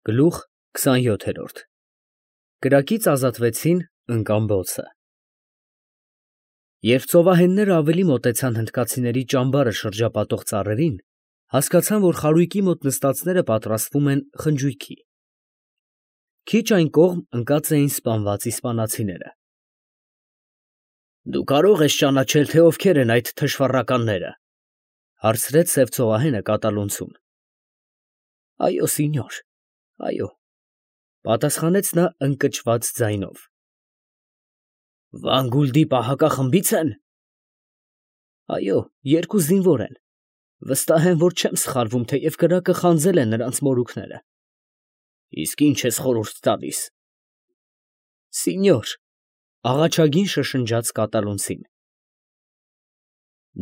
Գլուխ 27 Կրակից ազատվեցին ընկան բոցը։ Երբ ծովահենները ավելի մոտեցան հնդկացիների ճամբարը շրջապատող ծառերին, հասկացան, որ խարույկի մոտ նստածները պատրաստվում են խնջույքի։ Քիչ այն կողմ ընկած էին սպանված իսպանացիները։ Դու կարող ես ճանաչել, թե ովքեր են այդ թշվառականները, հարցրեց սև ծովահենը կատալոնցուն։ Այո, սինյոր, այո, պատասխանեց նա ընկճված ձայնով։ Վանգուլդի պահակախմբի՞ց են։ Այո, երկու զինվոր են։ Վստահ եմ, որ չեմ սխալվում, թեև կրակը խանձել են նրանց մորուքները։ Իսկ ի՞նչ ես խորհուրդ տալիս։ Սինյոր, աղաչագին շշնջաց կատալոնցին։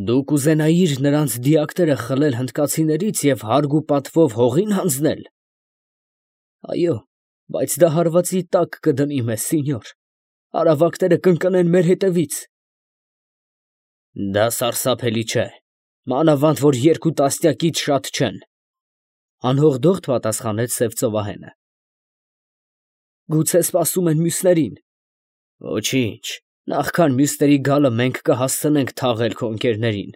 Դու կուզենայիր նրանց դիակները խլել հնդկացիներից և հարգ ու պատվով հողին հանձնել։ Այո, բայց դա հարվածի տակ կդնի մեզ, սինյոր, արավակները կընկնեն մեր հետևից։ Դա սարսափելի չէ, մանավանդ որ երկու տասնյակից շատ չեն, անհողդողդ պատասխանեց սև ծովահենը։ Գուցե սպասում են մյուսներին։ Ոչինչ, նախքան մյուսների գալը մենք կհասցնենք թաղել քո ընկերներին։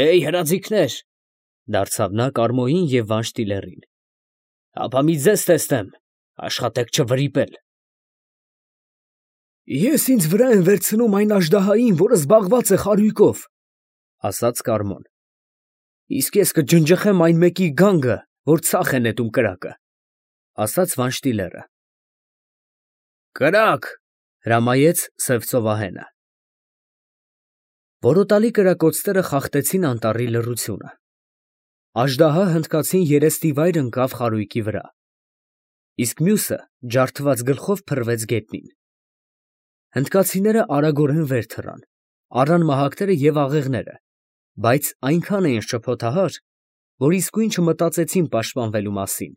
Էյ, հրաձիգներ, դարձավ նա Կարմոյին և Վանշտիլերին։ Հապա մի ձեզ տեսնեմ, աշխատեք չվրիպել։ Ես ինձ վրա եմ վերցնում այն աժդահային, որը զբաղված է խարույկով, ասաց Կարմոն։ Իսկ ես կջնջխեմ այն մեկի գանգը, որ ցախ է նետում կրակը, ասաց Վանշտիլերը։ Կրակ, հրամայեց սև ծովահենը։ Որոտալի կրակոցները խախտեցին անտառի լռությունը։ Աժդահա հնդկացին երեստիվայր ընկավ խարույկի վրա, իսկ մյուսը ջարդված գլխով փռվեց գետնին։ Հնդկացիները արագորեն վեր թռան, առան մահակները և աղեղները, բայց այնքան էին շփոթահար, որ իսկույն չմտածեցին պաշտպանվելու մասին։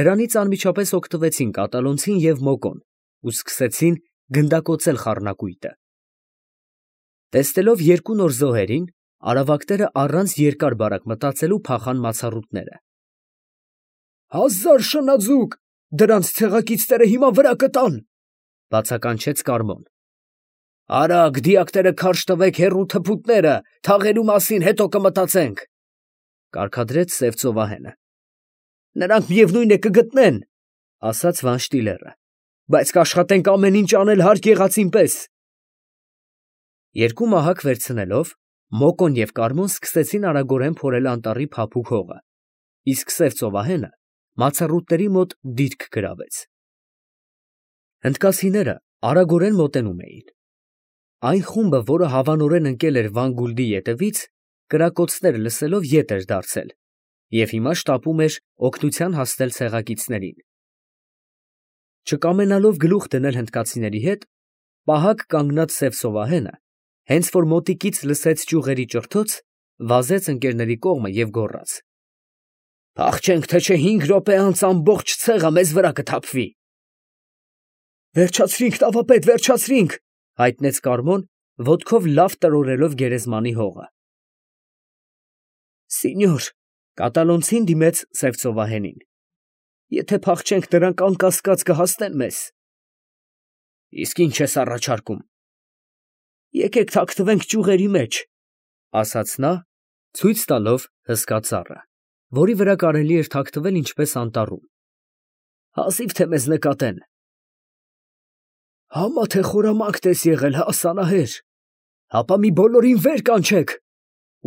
Դրանից անմիջապես օգտվեցին կատալոնցին և մոկոն ու սկսեցին գնդակոծել խառնակույտը։ Տեսնելով երկու նոր զոհերին, արավակները առանց երկար բարակ մտածելու փախան մացառուտները։ Հազար շնաձուկ, դրանց ցեղակիցները հիմա վրա կտան, բացականչեց Կարմոն։ Արագ դիակները քարշ տվեք, հեռու թփուտները, թաղելու մասին հետո կմտածենք, կարգադրեց սև ծովահենը։ Նրանք միևնույն է կգտնեն, ասաց Վանշտիլերը, բայց կաշխատենք ամեն ինչ անել հարկ եղածին պես։ Երկու մահակ վերցնելով, Մոկոն և Կարմոն սկսեցին արագորեն փորել անտառի փափուկ հողը, իսկ սև ծովահենը մացառուտների մոտ դիրք գրավեց։ Հնդկացիները արագորեն մոտենում էին։ Այն խումբը, որը հավանորեն ընկել էր Վանգուլդի ետևից, կրակոցները լսելով ետ էր դարձել և հիմա շտապում էր օգնության հասնել ցեղակիցներին։ Չկամենալով գլուխ դնել հնդկացիների հետ, պահակ կանգնած սև ծովահենը, հենց որ մոտիկից լսեց ճյուղերի ճռթոց, վազեց ընկերների կողմը և գոռաց. Փախչենք, թե չէ 5 րոպե անց ամբողջ ցեղը մեզ վրա կթափվի։ Վերջացրինք, տավապետ, վերջացրինք, հայտնեց Կարմոն, ոտքով լավ տրորելով գերեզմանի հողը։ Սինյոր, կատալոնցին դիմեց սև ծովահենին։ Եթե փախչենք, նրանք անկասկած կհասնեն մեզ։ Իսկ ինչ ես առաջարկում։ Եկեք թաքնվենք ճյուղերի մեջ, ասաց նա, ցույց տալով հսկա ծառը, որի վրա կարելի էր թաքնվել ինչպես անտառում։ Հազիվ թե մեզ նկատեն։ Համա թե խորամանկ ես եղել, հա, սանահեր, հապա մի բոլորին վեր կանչեք,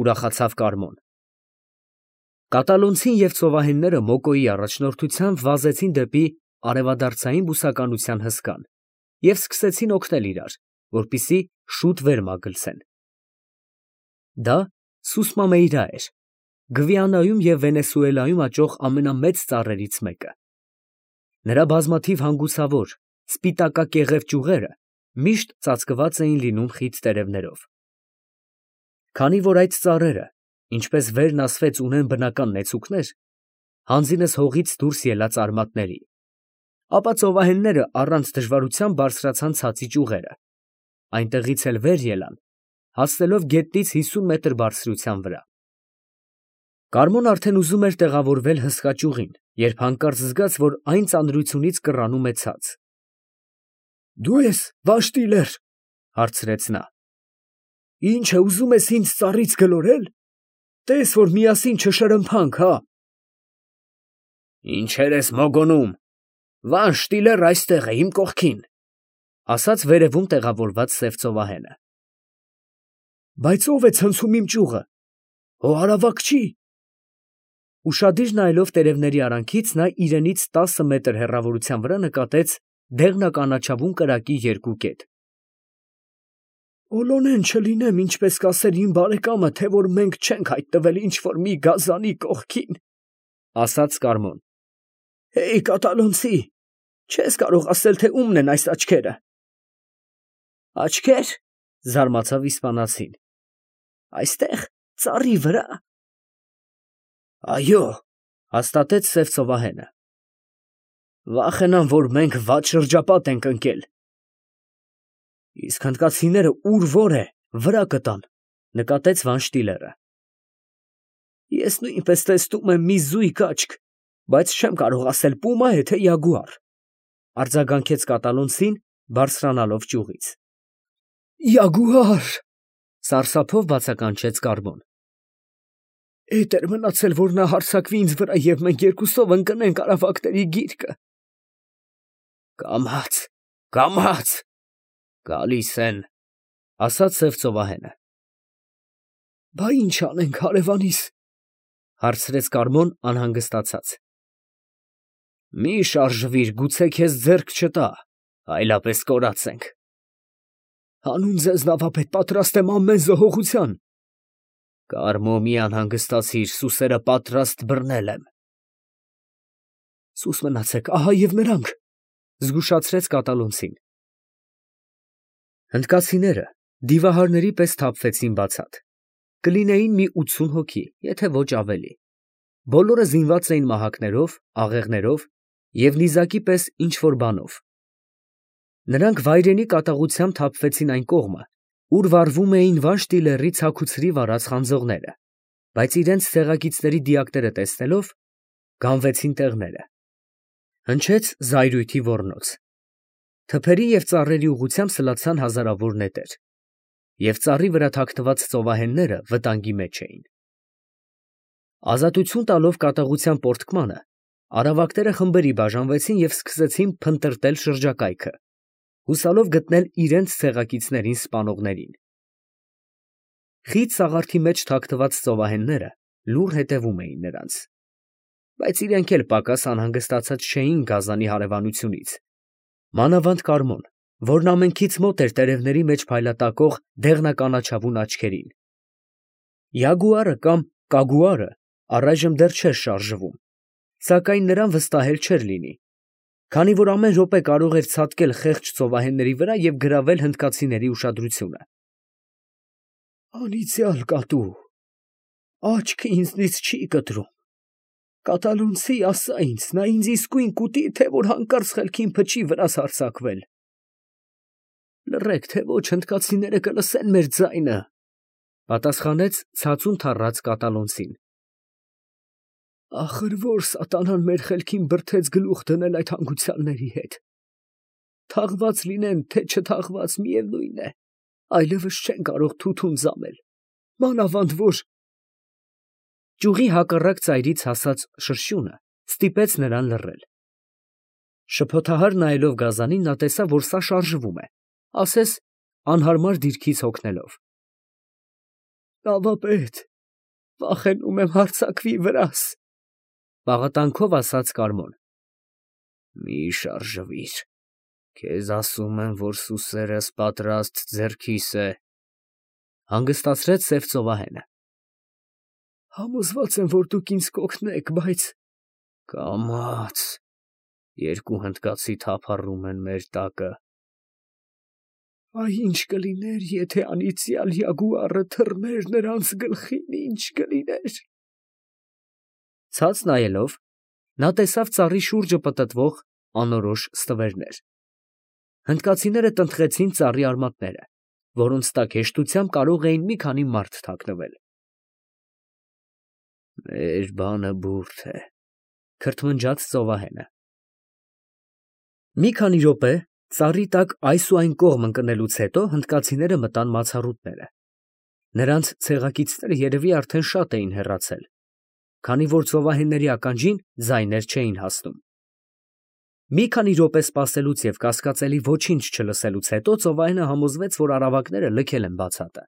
ուրախացավ Կարմոն։ Կատալոնցին և ծովահենները Մոկոյի առաջնորդությամբ վազեցին դեպի արևադարձային բուսականության հսկան և սկսեցին օգնել իրար, որպեսզի շուտ վեր մագլցեն։ Դա Սուսմամեյրա էր, Գվիանայում և Վենեսուելայում աճող ամենամեծ ծառերից մեկը։ Նրա բազմաթիվ հանգուցավոր, սպիտակակեղև ճյուղերը միշտ ծածկված էին լինում խիտ տերևներով։ Քանի որ այդ ծառերը, ինչպես վերն ասվեց, ունեն բնական նեցուկներ, հանձինս հողից դուրս ելած արմատների, ապա ծովահենները առանց դժվարության բարձրացան ցածի ճյուղերը, այնտեղից էլ վեր ելան, հասնելով գետնից 50 մետր բարձրության վրա։ Կարմոն արդեն ուզում էր տեղավորվել հսկա ճյուղին, երբ հանկարծ զգաց, որ այն ծանրությունից կռանում է ցած։ «Դու ես Վաշտիլեր, ֊ հարցրեց նա, ֊ ինչ է ուզում ես ինձ ծառից գլորել, տես որ միասին չշրմփանք, հա»։ «Ինչեր ես մոգոնում, Վանշտիլեր այստեղ է, իմ կողքին, ֊ ասաց վերևում տեղավորված սև ծովահենը։ ֊ Բայց ո՞վ է ցնցում իմ ճյուղը, հո արավակ չի։ Ուշադիր նայելով տերևների արանքից, նա իրենից 10 մետր հեռավորության վրա նկատեց դեղնականաչավուն կրակի երկու կետ։ «Բոլոնեն չլինեմ, ինչպես կասեր իմ բարեկամը, թե որ մենք չենք հայտնվել ինչ֊որ մի գազանի կողքին, ֊ ասաց Կարմոն։ ֊ Հեյ, կատալոնցի, չես կարող ասել, թե ումն են այս աչքերը։ ֊ Աչքե՞ր, ֊ զարմացավ իսպանացին, ֊ այստեղ, ծառի վրա։ ֊ Այո, ֊ հաստատեց սև ծովահենը։ ֊ Վախենամ, որ մենք վատ շրջապատ ենք ընկել։ ֊ Իսկ հնդկացիները ուր է, վրա կտան, ֊ նկատեց Վանշտիլերը։ ֊ Ես նույնպես տեսնում եմ մի զույգ աչք, բայց չեմ կարող ասել պումա է, թե յագուար, ֊ արձագանքեց կատալոնցին, բարձրանալով ճյուղից։ ֊ Յագուար, ֊ սարսափով բացականչեց Կարմոն։ ֊ Էդ էր մնացել, որ նա հարձակվի ինձ վրա, և մենք երկուսով ընկնենք արավակների գիրկը։ ֊ Կամաց, կամաց, գալիս են, ֊ ասաց սև ծովահենը։ ֊ Բա ի՞նչ անենք, հարևանիս, ֊ հարցրեց Կարմոն անհանգստացած։ ֊ Մի շարժվիր, գուցե քեզ ձեռք չտա, այլապես կորած ենք։ ֊ Հանուն ձեզ, նավապետ, պատրաստ եմ ամեն զոհողության։ ֊ Կարմո, մի անհանգստացիր, սուսերը պատրաստ բռնել եմ։ ֊ Սուս մնացեք, ահա և նրանք, ֊ զգուշացրեց կատալոնցին։ Հնդկացիները դիվահարների պես սթափվեցին բացատ։ Կլինեին մի 80 հոգի, եթե ոչ ավելի։ Բոլորը զինված էին մահակներով, աղեղներով և նիզակի պես ինչ֊որ բանով։ Նրանք վայրենի կատաղությամբ սթափվեցին այն կողմը, ուր վառվում էին Վանշտիլերի ցաքուցրի վարած խանձողները, բայց իրենց ցեղակիցների դիակները տեսնելով, գանվեցին տեղները։ Հնչեց զայրույթի ոռնոց։ Թփերի և ծառերի ուղղությամբ սլացան հազարավոր նետեր, և ծառի վրա թաքնված ծովահենները վտանգի մեջ էին։ Ազատություն տալով կատաղության պոռթկմանը, արավակները խմբերի բաժանվեցին և սկսեցին փնտրտել շրջակայքը, հուսալով գտնել իրենց ցեղակիցներին սպանողներին։ Խիտ սաղարթի մեջ թաքնված ծովահենները լուռ հետևում էին նրանց, բայց իրենք էլ պակաս անհանգստացած չէին գազանի հարևանությունից, մանավանդ Կարմոն, որն ամենքից մոտ էր տերևների մեջ փայլատակող դեղնականաչավուն աչքերին։ Յագուարը կամ կագուարը առայժմ դեռ չէր շարժվում, սակայն նրան վստահել չէր լինի, քանի որ ամեն րոպե կարող էր ցատկել խեղճ ծովահենների վրա և գրավել հնդկացիների ուշադրությունը։ Անիծյալ կատու, աչքը ինձնից չի կտրում։ Կատալոնցի, ասա ինձ, նա ինձ իսկույն կուտի, թե որ հանկարծ խելքին փչի վրաս հարձակվել։ Լռեք, թե ոչ հնդկացիները կլսեն մեր ձայնը, ֊ պատասխանեց ցածուն թառած կատալոնցին։ Ախր ո՞ր սատանան մեր խելքին բրդեց գլուխ դնել այդ հանգուցյալների հետ։ Թաղված լինեն, թե չթաղված, միևնույն է, այլևս չեն կարող թութուն ձամել, մանավանդ որ… Ճյուղի հակառակ ծայրից հասած շրշյունը ստիպեց նրան լռել։ Շփոթահար նայելով գազանին, նա տեսավ, որ սա շարժվում է, ասես անհարմար դիրքից հոգնելով։ Նավապետ, վախենում եմ հարձակվի վրաս, ֊ պաղատանքով ասաց Կարմոն։ Մի շարժվիր, քեզ ասում եմ, որ սուսերս պատրաստ ձեռքիս է, ֊ հանգստացրեց սև ծովահենը։ Համոզված եմ, որ դուք ինձ կօգնեք, բայց… Կամաց, երկու հնդկացի թափառում են մեր տակը։ Այ ինչ կլիներ, եթե անիծյալ յագուարը թռներ նրանց գլխին, ինչ կլիներ… Ցած նայելով, նա տեսավ ծառի շուրջը պտտվող անորոշ ստվերներ։ Հնդկացիները տնտղեցին ծառի արմատները, որոնց տակ հեշտությամբ կարող էին մի քանի մարդ թաքնվել։ Մեր բանը բուրդ է, քրթմնջաց ծովահենը։ Մի քանի րոպե ծառի տակ այս ու այն կողմ ընկնելուց հետո հնդկացիները մտան մացառուտները։ Նրանց ցեղակիցները երևի արդեն շատ էին հեռացել, քանի որ ծովահենների ականջին ձայներ չէին հասնում։ Մի քանի րոպե սպասելուց և կասկածելի ոչինչ չլսելուց հետո ծովահենը համոզվեց, որ արավակները լքել են բացատը։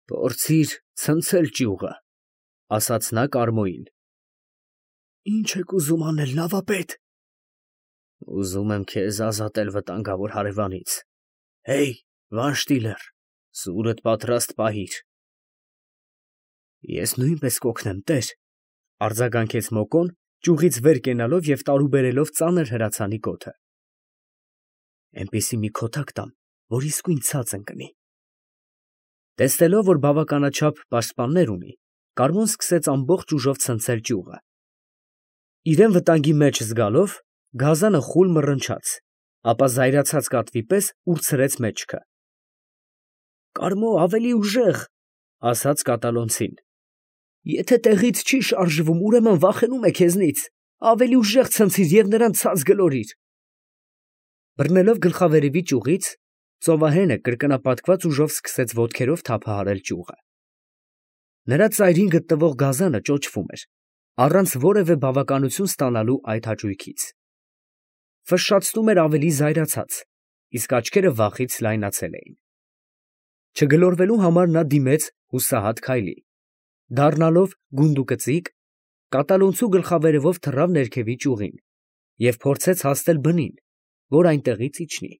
«Փորձիր ցնցել ճյուղը», ասաց նա Կարմոյին։ «Ինչ եք ուզում անել, նավապետ»։ «Ուզում եմ քեզ ազատել վտանգավոր հարևանից։ Հեյ, Վանշտիլեր, սուրդ պատրաստ պահիր»։ «Ես նույնպես կօգնեմ, տեր», արձագանքեց Մոկոն, ճյուղից վեր կենալով և տարուբերելով ծանր հրացանի կոթը։ «Էնպիսի մի քոթակ տամ, որ իսկույն ցած ընկնի»։ Տեսնելով, որ բավականաչափ պաշտպաններ ունի, Կարմոն սկսեց ամբողջ ուժով ցնցել ճյուղը։ Իրան վտանգի մեջ զգալով, գազանը խուլ մռնչաց, ապա զայրացած կատվի պես ուրցրեց մեջքը։ «Կարմո, ավելի ուժեղ», ասաց կատալոնցին։ «Եթե տեղից չի շարժվում, ուրեմն վախենում է քեզնից, ավելի ուժեղ ցնցիր և նրան ցած գլորիր»։ Բռնելով գլխավերևի ճյուղից, ծովահենը կրկնապատկված ուժով սկսեց ոտքերով թափահարել ճյուղը։ Նրա ծայրին գտնվող գազանը ճոճվում էր, առանց որևէ բավականություն ստանալու այդ հաճույքից։ Ֆշշացնում էր ավելի զայրացած, իսկ աչքերը վախից լայնացել էին։ Չգլորվելու համար նա դիմեց հուսահատ քայլի։ Դառնալով գունդուկծիկ, կատալոնցու գլխավերևով թռավ ներքևի ճյուղին և փորձեց հասնել բնին, որ այնտեղից իջնի։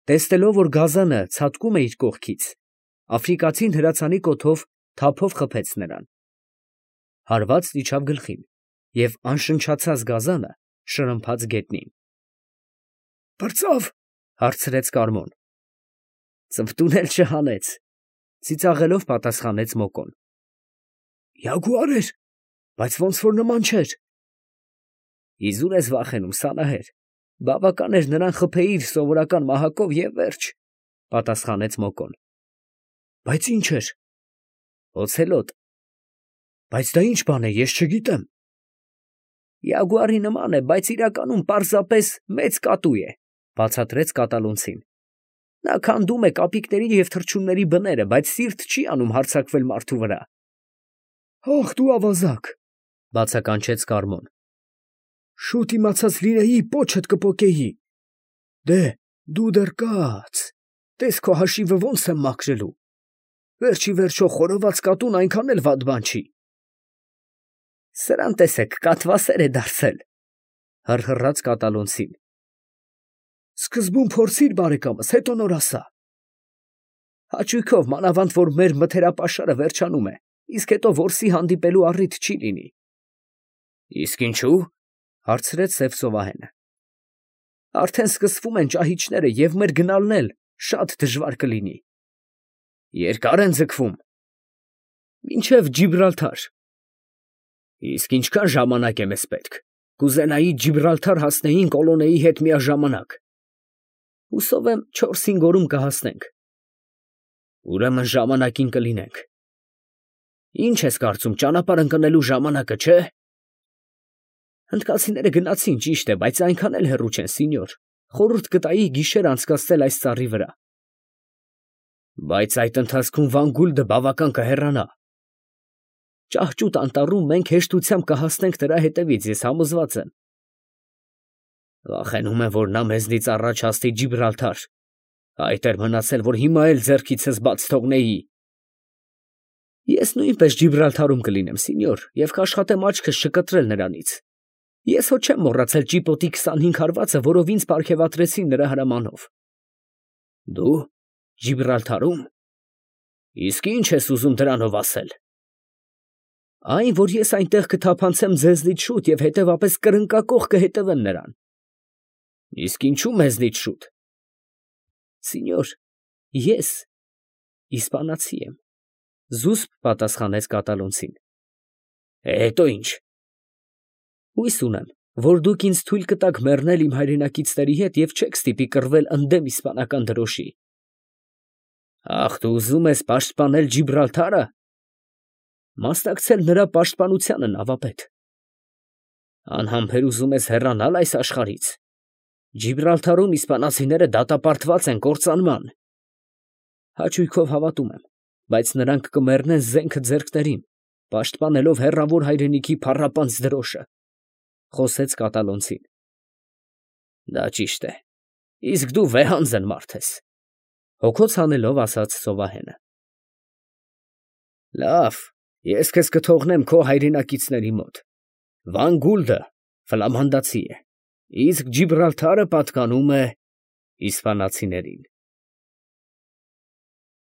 Տեսնելով, որ գազանը ցատկում է իր կողքից, աֆրիկացին հրացանի կոթով թափով խփեց նրան։ Հարվածն իջավ գլխին, և անշնչացած գազանը շրմփաց գետնին։ «Պրծավ», հարցրեց Կարմոն։ «Ծնվտուն էլ չհանեց», ծիծաղելով պատասխանեց Մոկոն։ «Յագուար էր, բայց ոնց որ նման չէր»։ «Իզուր ես վախենում, սանահեր, բավական էր նրան խփեիր սովորական մահակով և վերջ», պատասխանեց Մոկոն։ «Բայց ինչ էր»։ «Օցելոտ»։ «Բայց դա ինչ բան է, ես չգիտեմ»։ «Յագուարի նման է, բայց իրականում պարզապես մեծ կատու է», բացատրեց կատալոնցին։ «Նա քանդում է կապիկների և թռչունների բները, բայց սիրտ չի անում հարձակվել մարդու վրա»։ «Ախ, դու ավազակ», բացականչեց Կարմոն։ «Շուտ իմացած լինեի, պոչդ կպոկեի։ Դե, դու դեռ կաց, տես քո հաշիվը ոնց եմ մաքրելու։ Վերջի վերջո խորոված կատուն այնքան էլ վատ բան չի»։ «Սրան տեսեք, կաթվասեր է դարձել», հռհռաց կատալոնցին։ «Սկզբում փորձիր, բարեկամս, հետո նոր ասա»։ «Հաճույքով, մանավանդ որ մեր մթերապաշարը վերջանում է, իսկ հետո որսի հանդիպելու առիթ չի լինի»։ «Իսկ ինչու՞։ հարցրեց սև ծովահենը։ «Արդեն սկսվում են ճահիճները և մեր գնալն էլ շատ դժվար կլինի»։ «Երկա՞ր են ձգվում»։ «Մինչև Ջիբրալթար»։ «Իսկ ինչքան ժամանակ է մեզ պետք։ Կուզենայի Ջիբրալթար հասնեինք Կոլոնեի հետ միաժամանակ»։ «Հուսով եմ 4-5 օրում կհասնենք»։ «Ուրեմն ժամանակին կլինենք»։ «Ինչ ես կարծում, ճանապարհ ընկնելու ժամանակը չէ»։ «Հնդկացիները գնացին, ճիշտ է, բայց այնքան էլ հեռու չեն, սինյոր, խորհուրդ կտայի գիշեր անցկացնել այս ծառի վրա»։ «Բայց այդ ընթացքում Վան֊Գուլդը բավական կհեռանա»։ «Ճահճուտ անտառում մենք հեշտությամբ կհասնենք նրա հետևից, ես համոզված եմ»։ «Վախենում եմ, որ նա մեզնից առաջ հասնի Ջիբրալթար, այդ էր մնացել, որ հիմա էլ ձեռքիցս բաց թողնեի»։ «Ես նույնպես Ջիբրալթարում կլինեմ, սինյոր, և կաշխատեմ աչքս չկտրել նրանից։ Ես հո չեմ մոռացել ճիպոտի 25 հարվածը, որով ինձ պարգևատրեցին նրա հրամանով»։ «Դու Ջիբրալթարում։ Իսկ ի՞նչ ես ուզում դրանով ասել»։ «Այն, որ ես այնտեղ կթափանցեմ ձեզնից շուտ և հետևապես կրնկակոխ կհետևեմ նրան»։ «Իսկ ինչու մեզնից շուտ»։ «Սինյոր, ես իսպանացի եմ», զուսպ պատասխանեց կատալոնցին։ «Հետո ի՞նչ»։ «Հույս ունեմ, որ դուք ինձ թույլ կտաք մեռնել իմ հայրենակիցների հետ և չեք ստիպի կռվել ընդդեմ իսպանական դրոշի»։ «Ախ, դու ուզում ես պաշտպանել Ջիբրալթա՞ρը»։ Մասնակցել նրա պաշտպանությանը, նավապետ։ Անհամբեր ուզում ես հեռանալ այս աշխարհից։ Ջիբրալթարում իսպանացիները դատապարտված են կործանման։ Հաճույքով հավատում եմ, բայց նրանք կմեռնեն զենքը ձեռքներին, պաշտպանելով հեռավոր հայրենիքի փառապանծ դրոշը, խոսեց կատալոնցին։ Դա ճիշտ է, իսկ դու վեհանձն մարդ ես, հոգոց հանելով ասաց ծովահենը։ Լավ, ես քեզ կթողնեմ քո հայրենակիցների մոտ։ Վան Գուլդը ֆլամանդացի է, իսկ Ջիբրալթարը պատկանում է իսպանացիներին։